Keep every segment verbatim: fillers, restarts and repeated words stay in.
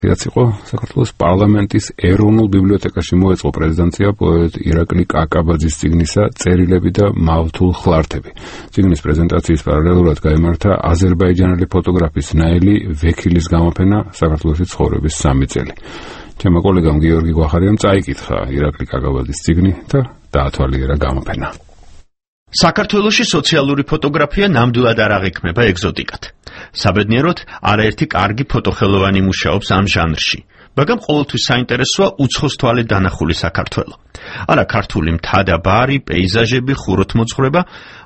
რაც იყო საქართველოს პარლამენტის ეროვნულ ბიბლიოთეკაში მოეწყო პრეზიდენტია პოეტ ირაკლი კაკაბაძის წიგნისა წერილები და მავთულ ხლართები. წიგნის პრეზენტაციის პარალელურად გაიმართა აზერბაიჯანელი ფოტოგრაფის ნაილი ვექილის გამოფენა საქართველოში ცხოვრების სამი წელი. ჩემო კოლეგამ გიორგი გვახარიამ წაიკითხა ირაკლი კაკაბაძის წიგნი და დაათვალიერა გამოფენა. საქართველოში სოციალური ფოტოგრაფია ნამდვილად არ აღიქმება ეგზოტიკად. საბედნიეროდ, არაერთი კარგი ფოტოხელოვანი მუშაობს ამ ჟანრში, მაგრამ ყოველთვის საინტერესოა უცხოს თვალით დანახული საქართველო. არა ქართული მთა და ბარი, პეიზაჟები, ხუროთმოძღვრება,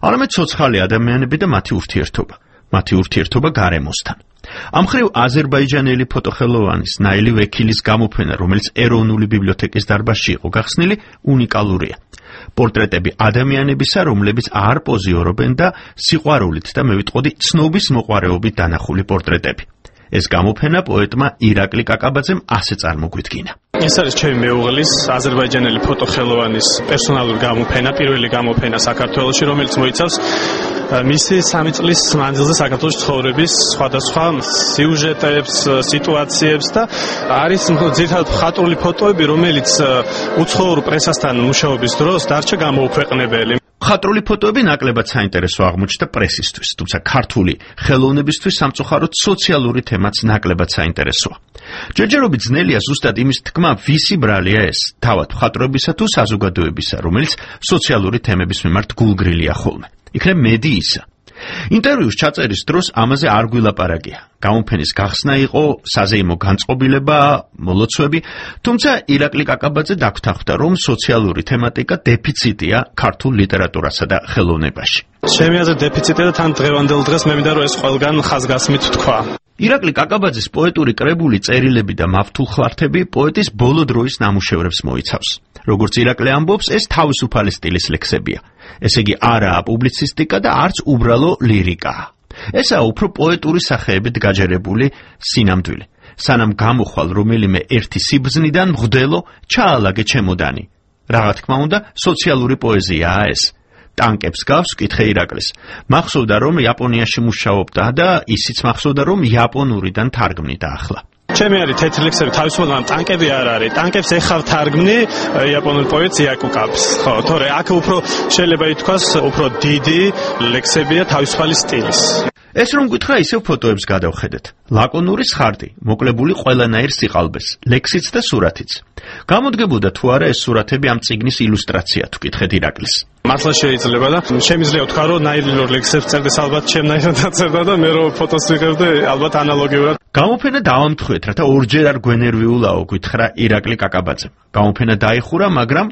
არამედ ცოცხალი ადამიანები და მათი ურთიერთობა. მათი ურთიერთობა გარემოსთან. ამ მხრივ აზერბაიჯანელი ფოტოხელოვანის ნაილი ვექილის გამოფენა, რომელიც ეროვნული ბიბლიოთეკის დარბაზში იყო გახსნილი, უნიკალურია. პორტრეტები ადამიანებისა, რომლებიც არ პოზიორობენ და სიყვარულით და მე ვიტყოდი ცნობის მოყვარეობით დანახული პორტრეტები. ეს გამოფენა პოეტმა ირაკლი კაკაბაძემ ასე წარმოგვიდგინა. ეს არის ჩემი მეუღლის აზერბაიჯანელი ფოტოხელოვანის პერსონალური გამოფენა, პირველი გამოფენა საქართველოში, რომელიც მოიცავს მისი სამი წლის მანძილზე საქართველოს ცხოვრების სხვადასხვა სიუჟეტებს, სიტუაციებს და არის ძირითადად მხატვრული ფოტოები, რომელიც უცხოურ პრესასთან მუშაობის დროს დარჩა გამოუქვეყნებელი. მხატვრული ფოტოები ნაკლებად საინტერესო აღმოჩნდა პრესისთვის, თუმცა ქართული ხელოვნებისთვის სამწუხაროდ სოციალური თემაც ნაკლებად საინტერესოა. ჯერჯერობით ძნელია ზუსტად იმის თქმა, ვისი ბრალია ეს, თავად მხატვრებისა თუ საზოგადოებისა, რომელიც სოციალური თემების მიმართ გულგრილია ხოლმე. იქნებ მედიისა. ინტერვიუს ჩაწერის დროს ამაზე არ გვილაპარაკია. გამოფენის გახსნა იყო საზეიმო განწყობილება, მოლოცვები, თუმცა ირაკლი კაკაბაძე დაგვთანხმდა, რომ სოციალური თემატიკა დეფიციტია ქართულ ლიტერატურასა და ხელოვნებაში. ჩემი აზრით დეფიციტია და თან დღევანდელ დღეს მე მინდა რომ ეს ყველგან ხაზგასმით თქვა. ირაკლი კაკაბაძის პოეტური კრებული წერილები და მავთულ ხლართები პოეტის ბოლო დროის ნამუშევრებს მოიცავს. როგორც ირაკლი ამბობს, ეს თავისუფალი სტილის ლექსებია. ესე იგი არაა პუბლიცისტიკა და არც უბრალო ლირიკაა. ესაა უფრო პოეტური სახეებით გაჯერებული სინამდვილე. სანამ გამოხვალ რომელიმე ერთი სიბრძნიდან მღვდელო, ჩაალაგე ჩემოდანი. რა თქმა უნდა, სოციალური პოეზიაა ეს. ტანკებს გავს, კითხე ირაკლის. მახსოვდა, რომ იაპონიაში მუშაობდა და ისიც მახსოვდა, რომ იაპონურიდან თარგმნიდა ახლა. ჩემი არის თეთრი ლექსები თავისუფლად, ტანკები არ არის. ტანკებს ეხავ თარგმნი იაპონურ პოეტს იაკუკავს. ხო, თორე აქ უფრო შეიძლება ითქვას, უფრო დიდი ლექსებია თავისუფალი სტილის. ეს რომ გითხრა, ისევ ფოტოებს გადავხედეთ. ლაკონური სხარტი, მოკლებული ყველანაირ სიყალბეს, ლექსიც და სურათიც. გამოდგებოდა თუ არა ეს სურათები ამ წიგნის ილუსტრაცია, თუ კითხეთ ირაკლის. მართლა შეიძლება და შემიძლია ვთქვა, რომ ნაირილურ ლექსებს წერდეს ალბათ ჩემნაირად აწერდა და მე რომ ფოტოს ვიღებდი ალბათ ანალოგიურად. გამოფენა დავამთხვეთ, რათა ორჯერ არ გვენერვიულაო, გითხრა ირაკლი კაკაბაძემ. გამოფენა დაიხურა, მაგრამ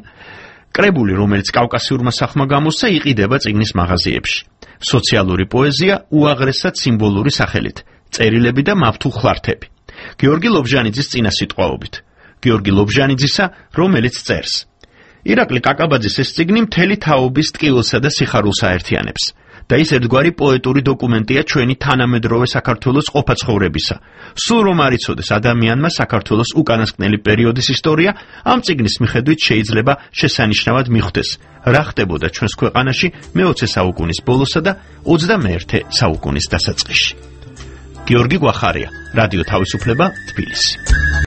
კრებული, რომელიც კავკასიურმა სახმა გამოსცა, იყიდება წიგნის მაღაზიებში. სოციალური პოეზია უაღრესად სიმბოლური სახელით, წერილები და მავთულ ხლართები. გიორგი ლობჟანიძის წინასიტყვაობით. გიორგი ლობჟანიძისა, რომელიც წერს. ირაკლი კაკაბაძის ეს წიგნი მთელი თაობის ტკივილსა და სიხარულს აერთიანებს. და ის ერთგვარი პოეტური დოკუმენტია ჩვენი თანამედროვე საქართველოს ყოფაცხოვრებისა. სულ რომ არ იცოდეს ადამიანმა საქართველოს უკანასკნელი პერიოდის ისტორია, ამ წიგნის მიხედვით შეიძლება შესანიშნავად მიხვდეს, რა ხდებოდა ჩვენს ქვეყანაში მეოცე საუკუნის ბოლოსა და ოცდამეერთე საუკუნის დასაწყისში. გიორგი გვახარია, რადიო თავისუფლება, თბილისი.